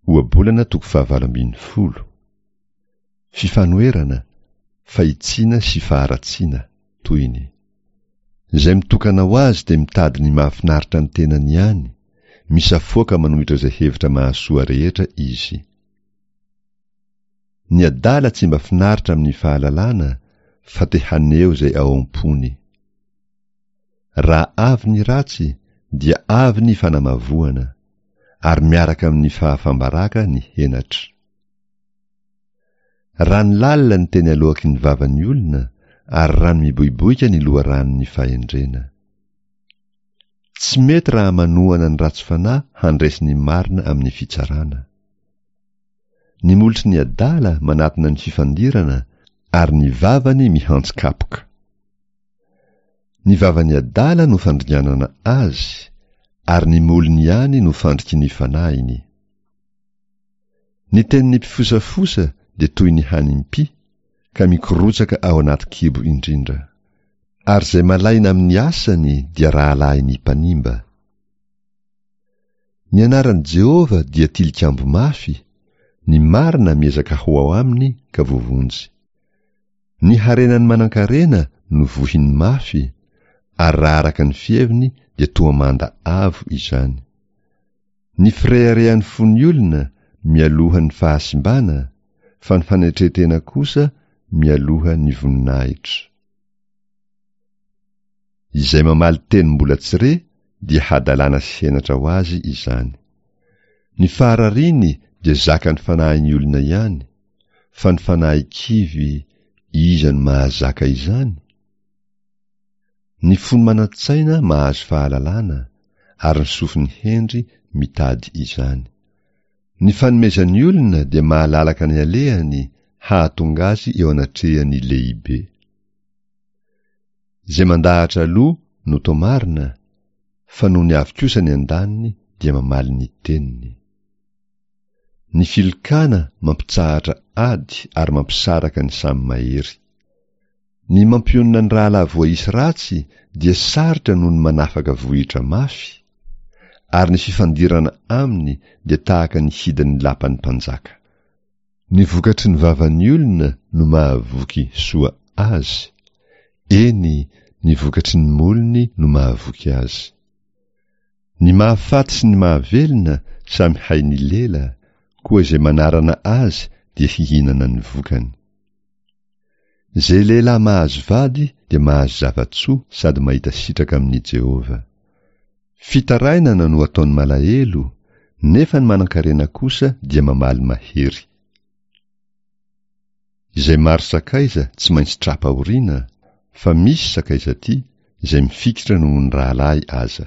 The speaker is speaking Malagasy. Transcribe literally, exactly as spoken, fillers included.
Ohabolana toko fahavalo ambin'ny folo. Fifanoherana, fahitsiana sy faharatsiana, tohiny. Izay mitokana ho azy dia mitady ny mahafinaritra ny tenany ihany, misafoaka manohitra izay hevitra mahasoa rehetra izy. Ny adala tsy mba finaritra amin'ny fahalalana fa te haneho izay ao am-pony. Raha avy ny ratsy dia avy ny fanamavoana, ary miaraka amin'ny fahafam-baraka ny henatra. Rano lalina ny teny aloaky ny vavan'ny olona, ary rano miboiboika ny loharanon'ny fahendrena. Tsy mety raha manohana ny ratsy fanahy handresy ny marina amin'ny fitsarana. Ny molotry ny adala manatona ny fifandirana, ary ny vavany mihantsy kapoka. Ny vavan'ny adala no fandringanana azy, ary ny molony ihany no fandriky ny fanahiny. Ny tenin'ny mpifosafosa dia toy ny hanim-py, ka mikorotsaka ao anaty kibo indrindra. Ary izay malaina amin'ny asany dia rahalahin'ny mpanimba. Ny anaran'i Jehovah dia tilikambo mafy, ny marina miezaka ho ao aminy ka voavonjy. Ny harenan'ny manankarena no vohiny mafy, ary raha araka ny fiheviny dia toa manda avo izany. Ny fireharehan'ny fon'ny olona mialoha ny fahasimbana, fa ny fanetren-tena kosa mialoha ny voninahitra. Izay mamaly teny mbola tsy re dia hadalana sy henatra ho azy izany. Ny faharariany dia zakan'ny fanahin'ny olona ihany, fa ny fanahy kivy, iza no mahazaka izany? Ny fony manan-tsaina mahazo fahalalana, ary ny sofin'ny hendry mitady izany. Ny fanomezan'ny olona dia mahalalaka ny alehany hahatonga azy eo anatrehan'ny lehibe. Izay mandahatra aloha no toa marina, fa nony avy kosa ny andaniny dia mamaly ny teniny. Ny filokana mampitsahatra ady ary mampisaraka ny samy mahery. Ny mampionona ny rahalahy voaisy ratsy dia sarotra noho ny manafaka vohitra mafy, ary ny fifandirana aminy dia tahaka ny hidin'ny lapan'ny mpanjaka. Ny vokatry ny vavan'ny olona no mahavoky soa azy, eny, ny vokatry ny molony no mahavoky azy. Ny mahafaty sy ny mahavelona samy hain'ny lela, koa izay manarana azy dia hihinana ny vokany. Izay lehilahy mahazo vady dia mahazo zava-tsoa sady mahita sitraka amin'i Jehovah. Fitarainana no ataon'ny malahelo, nefa ny manankarena kosa dia mamaly mahery. Izay maro sakaiza tsy maintsy tra-pahoriana, fa misy sakaiza tia, izay mifikitra noho ny rahalahy aza.